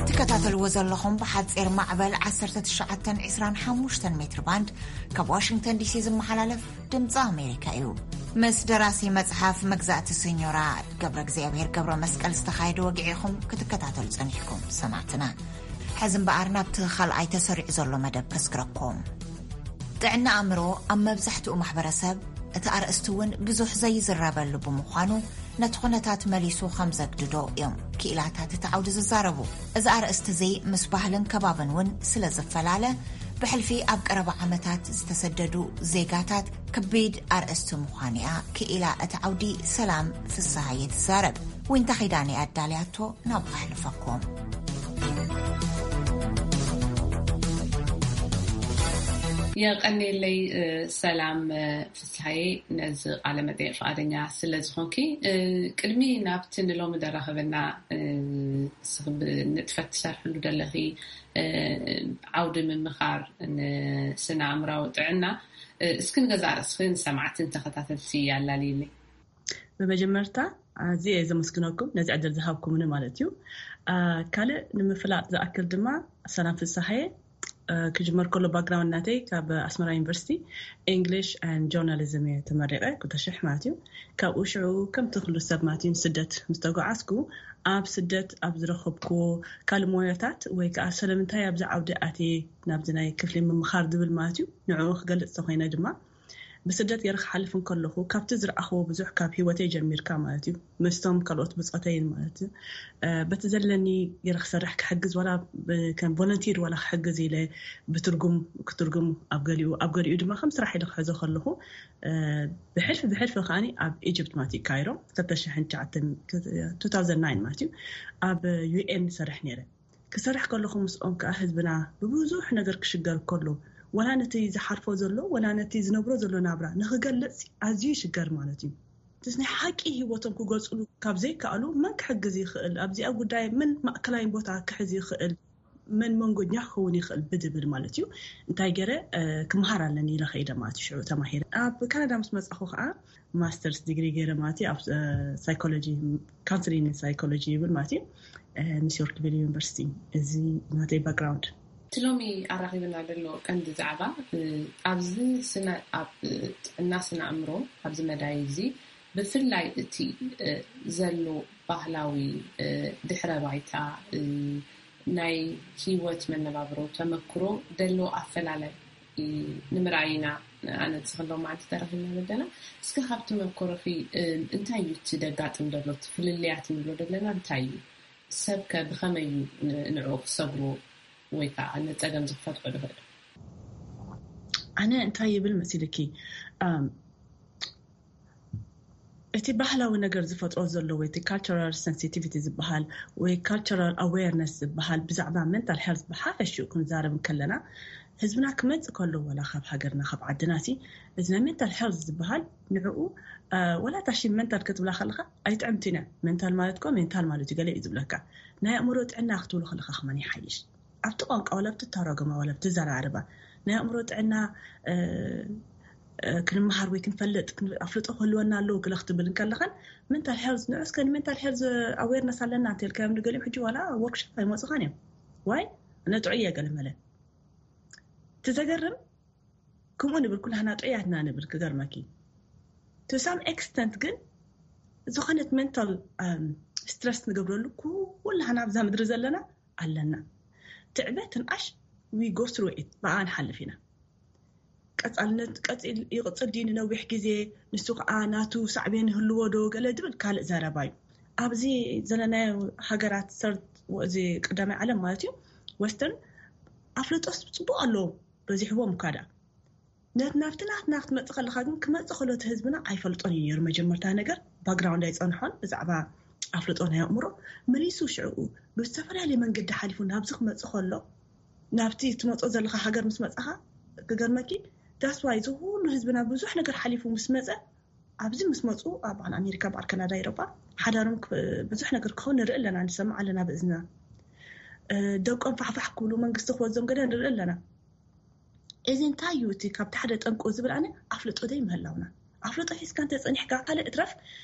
ትከታተልዎ ዘለኹም ብሓጺር ማዕበል ዓሰርተ ትሽዓተን ዕስራን ሓሙሽተን ሜትር ባንድ ካብ ዋሽንግተን ዲሲ ዝመሓላለፍ ድምፂ ኣሜሪካ እዩ። ምስ ደራሲ መጽሓፍ መግዛእቲ ሰኞራ ገብረ እግዚኣብሔር ገብረ መስቀል ዝተኻየደ ወግዒ ኢኹም ክትከታተሉ ጸኒሕኩም ሰማዕትና። ሕዚ እምበኣር ናብቲ ካልኣይ ተሰሪዑ ዘሎ መደብ ከስግረኩም። ጥዕና ኣእምሮ ኣብ መብዛሕትኡ ማሕበረሰብ እቲ ኣርእስቲ እውን ብዙሕ ዘይዝረበሉ ብምዃኑ፣ ነቲ ኩነታት መሊሱ ከም ዘግድዶ እዮም ክኢላታት እቲ ዓውዲ ዝዛረቡ። እዚ ኣርእስቲ እዚ ምስ ባህልን ከባብን እውን ስለ ዝፈላለ፣ ብሕልፊ ኣብ ቀረባ ዓመታት ዝተሰደዱ ዜጋታት ከቢድ ኣርእስቲ ምዃኑ እያ ክኢላ እቲ ዓውዲ ሰላም ፍስሃየ ትዛረብ። ዊንታ ኪዳነ ኣዳልያቶ ናብ ኣሕልፈኩም። የቐኔለይ፣ እ፣ ሰላም፣ እ፣ ፍስሃየ፣ ነዚ ቃለ መጠይቕ ፍቓደኛ ስለ ዝኾንኪ። እ፣ ቅድሚ ናብቲ ንሎሚ ደራኸበና፣ እ፣ ንስኺ ብንጥፈት ትሰርሕሉ ዘለኺ ዓውዲ ምምኻር ንስነ ኣእምራዊ ጥዕና፣ እስኪ ንገዛእ ርእስኺ ንሰማዕትን ተኸታተልቲ ኣላልይልኝ። ብመጀመርታ ኣዝየ እየ ዘመስግነኩም ነዚ ዕድል ዝሃብኩምኒ ማለት እዩ። ካልእ ንምፍላጥ ዝኣክል ድማ፣ ሰላም ፍስሃየ፣ ክጅመር ከሎ ባክግራውንድ ናተይ ካብ ኣስመራ ዩኒቨርሲቲ English and Journalism እየ ተመሪቐ፣ ክልተ ሽሕ ማለት እዩ። ካብኡ ሽዑ ከምቲ ኩሉ ሰብ ማለት እዩ ንስደት ምስ ተጓዓዝኩ፣ ኣብ ስደት ኣብ ዝረኸብኩዎ ካልእ ሞያታት ወይ ከዓ ስለምንታይ ኣብዚ ዓውዲ ኣትየ ናብዚ ናይ ክፍሊ ምምኻር ዝብል ማለት እዩ፣ ንዕኡ ክገልፅ ተኾይነ ድማ፣ ብስደት ገይረ ክሓልፍ እንከለኹ ካብቲ ዝረኣኽዎ ብዙሕ ካብ ህይወተይ ጀሚርካ ማለት እዩ፣ ምስቶም ካልኦት ብፆተይን ማለት እዩ። በቲ ዘለኒ ገይረ ክሰርሕ ክሕግዝ ዋላ ከም ቮለንቲር ዋላ ክሕግዝ ኢለ ብትርጉም ክትርጉም ኣብ ገሊኡ ኣብ ገሊኡ ድማ ከም ስራሕ ኢለ ክሕዞ ከለኹ፣ ብሕልፊ ብሕልፊ ከዓኒ ኣብ ኢጅፕት ማለት እዩ፣ ካይሮ ክልተ ሽሕን ትሽዓተን ማለት እዩ፣ ኣብ ዩኤን ሰርሕ ነይረ። ክሰርሕ ከለኹ ምስኦም ከዓ ህዝብና ብብዙሕ ነገር ክሽገር ከሎ፣ ወላ ነቲ ዝሓልፎ ዘሎ ወላ ነቲ ዝነብሮ ዘሎ ናብራ ንክገልጽ ኣዝዩ ይሽገር ማለት እዩ። ምስ ናይ ሓቂ ህይወቶም ክገልጽሉ ካብ ዘይከኣሉ፣ መን ክሕግዝ ይኽእል? ኣብዚኣ ጉዳይ መን ማእከላይ ቦታ ክሕዝ ይኽእል? መን መንጎኛ ክኸውን ይኽእል ብድብል ማለት እዩ። እንታይ ገይረ ክመሃር ኣለኒ ኢለ ከይደ ማለት እዩ። ሽዑ ተማሂረ ኣብ ካናዳ ምስ መጻኹ ከዓ ማስተርስ ዲግሪ ገይረ ማለት እዩ፣ ኣብ ሳይኮሎጂ፣ ካውንስሊንግ ሳይኮሎጂ ይብል ማለት እዩ፣ ምስ ዮርክቪል ዩኒቨርሲቲ። እዚ ናተይ ባክግራውንድ። እቲ ሎሚ ኣራኺብና ዘሎ ቀንዲ ዛዕባ ኣብዚ ስነ ኣብ ጥዕና ስነ ኣእምሮ ኣብዚ መዳይ እዚ ብፍላይ እቲ ዘሎ ባህላዊ ድሕረ ባይታ ናይ ህይወት መነባብሮ ተመክሮ ደሎ ኣፈላላይ ንምርኣይ ኢና ኣነ ንስኺ ሎማዓንቲ ተረኺብና ዘለና። እስኪ ካብ ተመክሮኺ እንታይ እዩ እቲ ደጋጥም ዘሎ፣ እቲ ፍልልያት ንብሎ ዘለና እንታይ እዩ? ሰብ ከ ብኸመይ እዩ ንዕኡ ክሰግሮ ወይ ከዓ ንፀገም ዝፈትሖ ዝኽእል? ኣነ እንታይ ይብል መሲልኪ፣ እቲ ባህላዊ ነገር ዝፈጥሮ ዘሎ ወይ እቲ ካልቸራል ሰንሲቲቪቲ ዝበሃል ወይ ካልቸራል ኣዌርነስ ዝበሃል ብዛዕባ ሜንታል ሄልት ብሓፈሽኡ ክንዛረብ እንከለና፣ ህዝብና ክመጽእ ከሎ ዋላ ካብ ሃገርና ካብ ዓድና ሲ፣ እዚ ናይ ሜንታል ሄልት ዝበሃል ንዕኡ፣ ወላ ታሺ ሜንታል ክትብላ ከለካ ኣይጥዕምትን እያ። ሜንታል ማለት እኮ ሜንታል ማለት እዩ፣ ገለ እዩ ዝብለካ። ናይ ኣእምሮ ጥዕና ክትብሉ ከለካ ከማን ይሓይሽ። ኣብቲ ቋንቋ ዋላ ብትተረጎማ ዋላ ብትዘራርባ ናይ ኣእምሮ ጥዕና ክንመሃር ወይ ክንፈልጥ ኣፍልጦ ክህልወና ኣለዎ ክለ ክትብል እንከለኻን፣ ሜንታል ሄልዝ ንዑ እስከ ንሜንታል ሄልዝ ኣዌርነስ ኣለና እንተልካዮም ንገሊኦም ሕጂ ዋላ ወርክሾፕ ኣይመፁኻን እዮም። ዋይ? ነጥዑ እየ ገለ መለ ትዘገርም። ከምኡ ንብል ኩላህና ጥዑያትና ንብል ክገርመኪ። To some extent ግን ዝኾነት ሜንታል ስትረስ ንገብረሉ ኩላህና ኣብዛ ምድሪ ዘለና ኣለና። ትዕበ ትንኣሽ we go through it፣ ብኣ ንሓልፍ ኢና። ቀጻልነት ይቕጽል ድዩ ንነዊሕ ግዜ? ንሱ ከዓ ናቱ ሳዕቤን ይህልዎ ዶ ገለ ድብል ካልእ ዘረባ እዩ። ኣብዚ ዘለናዮ ሃገራት ሰርድ፣ እዚ ቀዳማይ ዓለም ማለት እዩ፣ ወስተርን ኣፍልጦስ ጽቡቕ ኣለዎ በዚሕዎም እኳ ደኣ። ናብቲ ናትና ክትመጽእ ከለኻ ግን ክመጽእ ከሎ እቲ ህዝብና ኣይፈልጦን እዩ ነይሩ። መጀመርታ ነገር ባክግራውንድ ኣይጸንሖን ብዛዕባ ኣፍልጦ ናይ ኣእምሮ። መሊሱ ሽዕኡ ብዝተፈላለየ መንገዲ ሓሊፉ ናብዚ ክመጽእ ከሎ፣ ናብቲ ትመጾ ዘለኻ ሃገር ምስ መጻኻ ክገርመኪ፣ that's why እዚ ኩሉ ህዝብና ብዙሕ ነገር ሓሊፉ ምስ መጸ፣ ኣብዚ ምስ መጹ ኣብ ኣሜሪካ በዓል ካናዳ ኤሮጳ ሓዳሮም ብዙሕ ነገር ክኸውን ንርኢ ኣለና፣ ንሰምዕ ኣለና ብእዝንና። ደቆም ፋሕፋሕ ክብሉ መንግስቲ ክወዞም ገለ ንርኢ ኣለና። እዚ እንታይ እዩ እቲ ካብቲ ሓደ ጠንቁ ዝብል ኣነ ኣፍልጦ ደይ ምህላውና። ኣፍልጦ ሒዝካ እንተ ጸኒሕካ ካልእ እትረፍ፣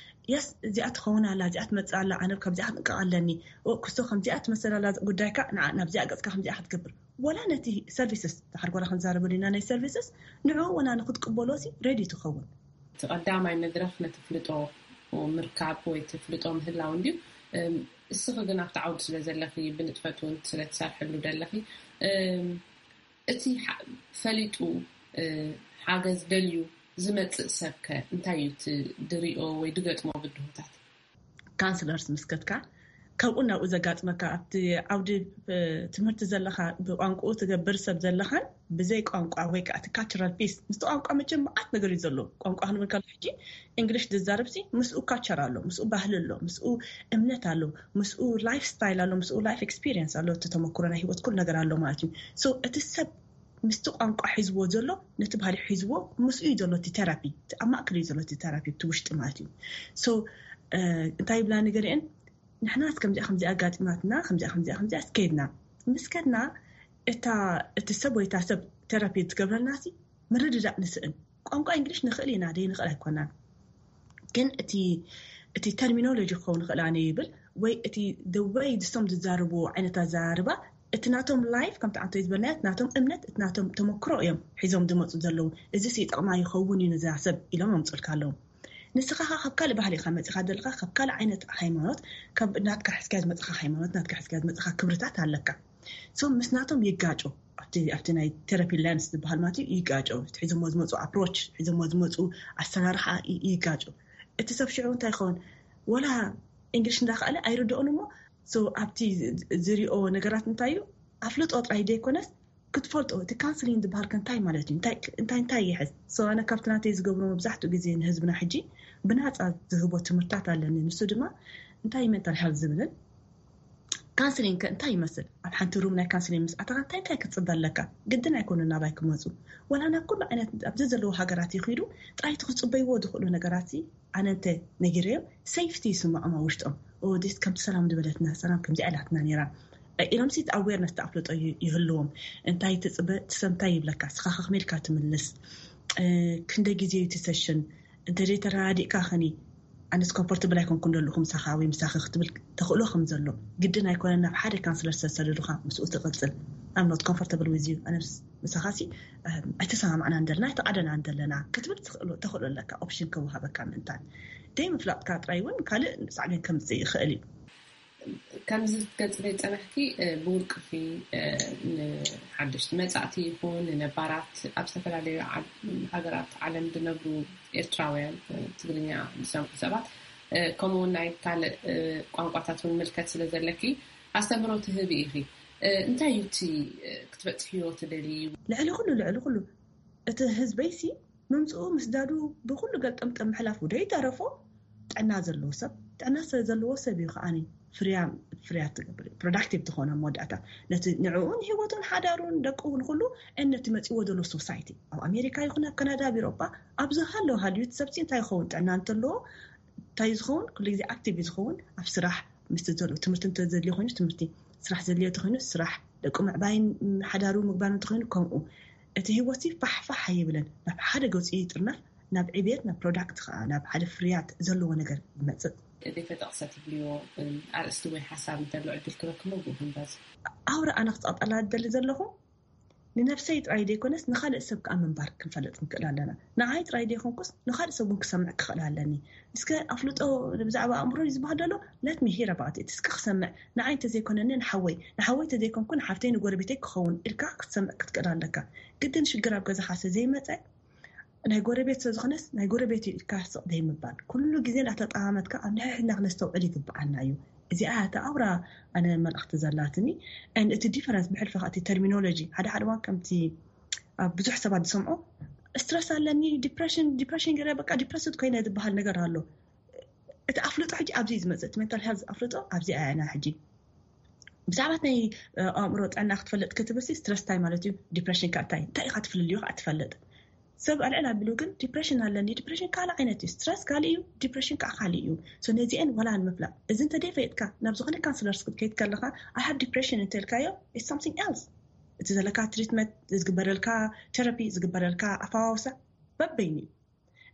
የስ እዚኣ ትኸውን ኣላ፣ እዚኣ ትመጽእ ኣላ፣ ኣነ ካብዚኣ ክጥንቀቕ ኣለኒ፣ ክስቶ ከምዚኣ ትመስል ኣላ ጉዳይካ፣ ንዓ ናብዚኣ ገጽካ ከምዚኣ ክትገብር፣ ወላ ነቲ ሰርቪስስ ድሓር ጎላ ክንዛረበሉ ኢና፣ ናይ ሰርቪስስ ንዕኡ ወላ ንክትቅበሎ ሲ ሬዲ ትኸውን። እቲ ቀዳማይ መድረኽ ነቲ ፍልጦ ምርካብ ወይ እቲ ፍልጦ ምህላው እንድዩ። እስኺ ግን ኣብቲ ዓውዲ ስለ ዘለኺ ብንጥፈት እውን ስለ ትሰርሕሉ ዘለኺ፣ እቲ ፈሊጡ ሓገዝ ደልዩ ዝመፅእ ሰብከ እንታይ እዩ እቲ ድሪኦ ወይ ድገጥሞ ብድሆታት? ካንስለርስ ምስከትካ ካብኡ ናብኡ ዘጋጥመካ ኣብቲ ዓውዲ ትምህርቲ ዘለካ ብቋንቋኡ ትገብር ሰብ ዘለካን ብዘይ ቋንቋ ወይ ከዓ እቲ ካልቸራል ፒስ ምስቲ ቋንቋ መቸም መዓት ነገር እዩ ዘሎ። ቋንቋ ክንብል ከሎ ሕጂ እንግሊሽ ዝዛረብ ሲ ምስኡ ካልቸር ኣሎ፣ ምስኡ ባህሊ ኣሎ፣ ምስኡ እምነት ኣሎ፣ ምስኡ ላይፍ ስታይል ኣሎ፣ ምስኡ ላይፍ ኤክስፒሪየንስ ኣሎ፣ እቲ ተመክሮ ናይ ህይወት ኩሉ ነገር ኣሎ ማለት እዩ። ሶ እቲ ሰብ ምስቲ ቋንቋ ሒዝዎ ዘሎ ነቲ ባህሊ ሒዝዎ ምስኡ እዩ ዘሎ እቲ ቴራፒ፣ ኣብ ማእከል እዩ ዘሎ እቲ ቴራፒ እቲ ውሽጢ ማለት እዩ። ሶ እንታይ ይብላ ንገሊአን ንሕናስ ከምዚኣ ከምዚኣ ኣጋጢማትና፣ ከምዚኣ ከምዚኣ ከምዚኣ ስከድና ምስ ከድና፣ እታ እቲ ሰብ ወይ እታ ሰብ ቴራፒ ትገብረልና ሲ ምርድዳእ ንስእን። ቋንቋ እንግሊሽ ንኽእል ኢና፣ ደይ ንኽእል ኣይኮናን። ግን እቲ እቲ ተርሚኖሎጂ ክኸውን ይኽእል ኣነ ይብል፣ ወይ እቲ the way ዝሶም ዝዛረቡ ዓይነት ኣዘራርባ፣ እቲ ናቶም ላይፍ ከምቲ ዓንቶ ዝበልናዮ፣ እቲ ናቶም እምነት፣ እቲ ናቶም ተመክሮ እዮም ሒዞም ዝመፁ ዘለዉ። እዚ ሲ ጠቕማ ይኸውን እዩ ነዛ ሰብ ኢሎም ኣምፅልካ ኣለዉ። ንስኻ ኸዓ ካብ ካልእ ባህሊ ኢኻ መፂኻ ዘለኻ፣ ካብ ካልእ ዓይነት ሃይማኖት፣ ካብ ናትካ ሕዝካ ዝመፅኻ ሃይማኖት፣ ናትካ ሕዝካ ዝመፅኻ ክብርታት ኣለካ። ሶ ምስ ናቶም ይጋጮ፣ ኣብቲ ኣብቲ ናይ ቴራፒ ላንስ ዝበሃል ማለት እዩ፣ ይጋጮ። እቲ ሒዞሞ ዝመፁ ኣፕሮች፣ ሒዞሞ ዝመፁ ኣሰራርሓ ይ- ይጋጮ። እቲ ሰብ ሽዑ እንታይ ይኸውን? ወላ እንግሊሽ እንዳኸኣለ ኣይርድኦን እሞ፣ ሶ ኣብቲ ዝ- ዝሪኦ ነገራት እንታይ እዩ? ኣፍልጦ ጥራይ ዘይኮነስ ክትፈልጦ፣ እቲ ካውንስሊንግ ዝበሃል ከ እንታይ ማለት እዩ? እንታይ እንታይ እንታይ ይሕዝ? ሶ ኣነ ካብቲ ናተይ ዝገብሮ መብዛሕትኡ ግዜ ንህዝብና ሕጂ ብናፃ ዝህቦ ትምህርታት ኣለኒ። ንሱ ድማ እንታይ እዩ ሜንታል ሄልት ዝብልን ካውንስሊንግ ከ እንታይ ይመስል? ኣብ ሓንቲ ሩም ናይ ካውንስሊንግ ምስ ኣተኻ እንታይ እንታይ ክትፅበ ኣለካ? ግድን ኣይኮኑን ናባይ ክመፁ። ወላ ናብ ኩሉ ዓይነት ኣብዚ ዘለዉ ሃገራት ይኽዱ፣ ጥራይ እቲ ክፅበይዎ ዝኽእሉ ነገራት ሲ ኣነ እንተ ነጊረዮም፣ ሴፍቲ ይስምዖም ኣብ ውሽጦም። ኦ፣ ዲስ ከምቲ ሰላም ዝበለትና፣ ሰላም ከምዚ ኣላትና ነይራ፣ እ፣ ኢሎም ሲ ኣዌርነስ ተኣፍልጦ ይ- ይህልዎም። እንታይ ትፅበ፣ ትሰምታይ ይብለካ፣ ስኻ ከኽሜልካ ትምልስ። እ፣ ክንደይ ግዜ እዩ እቲ ሰሽን? እንተ ዘይተረዳዲእካ ኸኒ ኣነስ ኮምፎርተብል ኣይኮንኩን ዘለኹ ምሳኻ ወይ ምሳኺ ክትብል ተኽእሎ ከም ዘሎ። ግድን ኣይኮነን ናብ ሓደ ካውንስለር ዝተሰደዱኻ ምስኡ ትቕጽል። I'm not comfortable with you፣ ኣነ ምስ- ምሳኻ ሲ ኣይተሰማማዕናን ዘለና ኣይተቓደናን ዘለና ክትብል ትኽእሎ- ተኽእሎ ኣለካ። ኦፕሽን ከወሃበካ ምእንታን ደይ ምፍላጥካ ጥራይ እውን ካልእ ሳዕቤን ከምፅእ ይኽእል እዩ። ከምዚ ክትገልፅለይ ዝፀናሕኪ፣ ብውልቅኺ ንሓደሽቲ መፃእቲ ይኹን ንነባራት ኣብ ዝተፈላለዩ ሃገራት ዓለም ዝነብሩ ኤርትራውያን፣ ትግርኛ ዝሰምዑ ሰባት፣ ከምኡውን ናይ ካልእ ቋንቋታት እውን ምልከት ስለ ዘለኪ ኣስተምህሮ ትህቢ ኢኺ። እንታይ እዩ እቲ ክትበፅሕዮ ትደልዩ? ልዕሊ ኩሉ ልዕሊ ኩሉ እቲ ህዝበይሲ ምምፅኡ ምስዳዱ ብኩሉ ገልጠምጠም ምሕላፉ ደይተረፎ ጥዕና ዘለዎ ሰብ ጥዕና ስለ ዘለዎ ሰብ እዩ ከዓኒ ፍርያ ፍርያት ትገብር ፕሮዳክቲቭ ዝኾነ መወዳእታ ነቲ ንዕኡን ህይወቱን ሓዳሩን ደቁ ንኩሉ ነቲ መፂዎ ዘሎ ሶሳይቲ ኣብ ኣሜሪካ ይኹን ኣብ ካናዳ ኣብ ኤሮጳ ኣብዚ ሃለዉ ሃልዩ እቲ ሰብሲ እንታይ ይኸውን ጥዕና እንተለዎ እንታይ ዝኸውን ኩሉ ግዜ ኣክቲቭ እዩ ዝኸውን ኣብ ስራሕ ምስ ዘሎ ትምህርቲ እንተዘድልዮ ኮይኑ ትምህርቲ ስራሕ ዘድልዮ ተኮይኑ ስራሕ ደቁ ምዕባይን ሓዳሩ ምግባር እንተኮይኑ ከምኡ እቲ ህይወት ሲ ፋሕ ፋሕ ኣይብልን ናብ ሓደ ገፁ ይጥርነፍ ናብ ዕብየት ናብ ፕሮዳክት ከዓ ናብ ሓደ ፍርያት ዘለዎ ነገር ይመፅእ። ዘይተጠቕሰ ትብልዮ ኣርእስቲ ወይ ሓሳብ እንተሎ ዕድል ክበክሞ ብኡ ክንበዝ። ኣውራ ኣነ ክፀቕጠላ ዝደሊ ዘለኹ ንነብሰይ ጥራይ ዘይኮነስ ንኻልእ ሰብ ከዓ ምንባር ክንፈልጥ ንክእል ኣለና። ንዓይ ጥራይ ዘይኮንኩስ ንኻልእ ሰብ እውን ክሰምዕ ክኽእል ኣለኒ። እስከ ኣፍልጦ ብዛዕባ ኣእምሮ እዩ ዝበሃል ዘሎ let me hear about it እስከ ክሰምዕ ንዓይ እንተዘይኮነኒ ንሓወይ ንሓወይ እንተዘይኮንኩ ንሓፍተይ ንጎረቤተይ ክኸውን ኢልካ ክትሰምዕ ክትክእል ኣለካ። ግድን ሽግር ኣብ ገዛኻ ስለ ዘይመፀ ናይ ጎረቤት ስለ ዝኾነስ ናይ ጎረቤት እዩ ኢልካ ስቕ ዘይምባል ኩሉ ግዜ እንዳተጠማመትካ ኣብ ንሕድሕድና ክነስተውዕል ይግብኣና እዩ። እዚኣ እያ እታ ኣውራ ኣነ መልእኽቲ ዘላትኒ። And እቲ ዲፈረንስ ብሕልፊ ከዓ እቲ ተርሚኖሎጂ ሓደ ሓደ እዋን ከምቲ ኣብ ብዙሕ ሰባት ዝሰምዖ ስትረስ ኣለኒ ዲፕሬሽን ዲፕሬሽን ገለ በቃ ዲፕረስድ ኮይነ ዝበሃል ነገር ኣሎ። እቲ ኣፍልጦ ሕጂ ኣብዚ እዩ ዝመፅእ እቲ ሜንታል ሄልዝ ኣፍልጦ ኣብዚ ኣያና ሕጂ ብዛዕባ ናይ ኣእምሮ ጥዕና ክትፈልጥ ክትብል ሲ ስትረስ እንታይ ማለት እዩ ዲፕሬሽን ከ እንታይ እንታይ ኢኻ ትፍልልዩ ከዓ ትፈልጥ ሰብ ኣልዕል ኣቢሉ ግን ዲፕሬሽን ኣለኒ ዲፕሬሽን ካልእ ዓይነት እዩ ስትረስ ካልእ እዩ ዲፕሬሽን ከዓ ካልእ እዩ ነዚአን ዋላ ንምፍላጥ እዚ እንተደይ ፈየጥካ ናብ ዝኾነ ካንስለር ክትከይድ ከለካ I have depression እንተልካዮ it's something else እቲ ዘለካ ትሪትመንት ዝግበረልካ ቴራፒ ዝግበረልካ ኣፈዋውሳ በበይኑ እዩ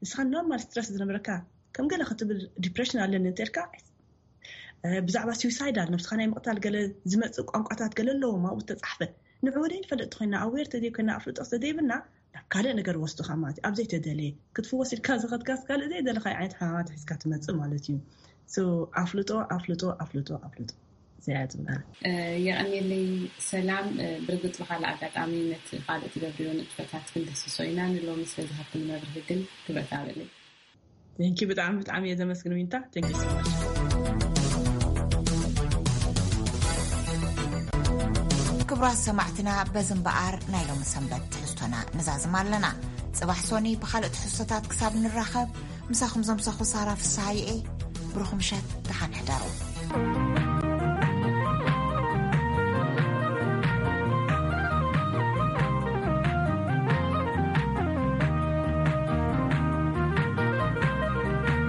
ንስኻ ኖርማል ስትረስ ዝነበረካ ከም ገለ ክትብል ዲፕሬሽን ኣለኒ እንተልካ ብዛዕባ ስዊሳይዳል ነብስኻ ናይ ምቕታል ገለ ዝመፅእ ቋንቋታት ገለ ኣለዎም ኣብኡ ዝተፃሕፈ ንዕኡ ደይ ንፈልጥ ተኮይና ኣዌር ተዘይኮይና ኣፍልጦ ተዘይብልና ናብ ካልእ ነገር ወስዱኻ ማለት እዩ ኣብ ዘይተደለየ ክትፍወስ ኢልካ ዝኸድካስ ካልእ ዘይደለኻ ዓይነት ሕማማት ሒዝካ ትመፅእ ማለት እዩ ኣፍልጦ ኣፍልጦ ኣፍልጦ ኣፍልጦ እዚኣ እያ ትብላ። የቐንየለይ ሰላም። ብርግፅ ብካልእ ኣጋጣሚ ነቲ ካልእ ትገብርዮ ንጥፈታት ክንድህስሶ ኢና። ንሎሚ ስለዝሃብክኒ መብርሂ ግን ክብረት ኣበለይ። Thank you ብጣዕሚ ብጣዕሚ እየ ዘመስግን ዊንታ። Thank you so much። ክቡራት ሰማዕትና በዚ እምበኣር ናይ ሎሚ ሰንበት ትሕዝቶና ንዛዝም ኣለና። ፅባሕ ሶኒ ብካልእ ትሕዝቶታት ክሳብ ንራኸብ ምሳኹም ዘምሰኹ ሳራ ፍስሃየ እየ። ብሩኽ ምሸት ደሓን ሕደሩ።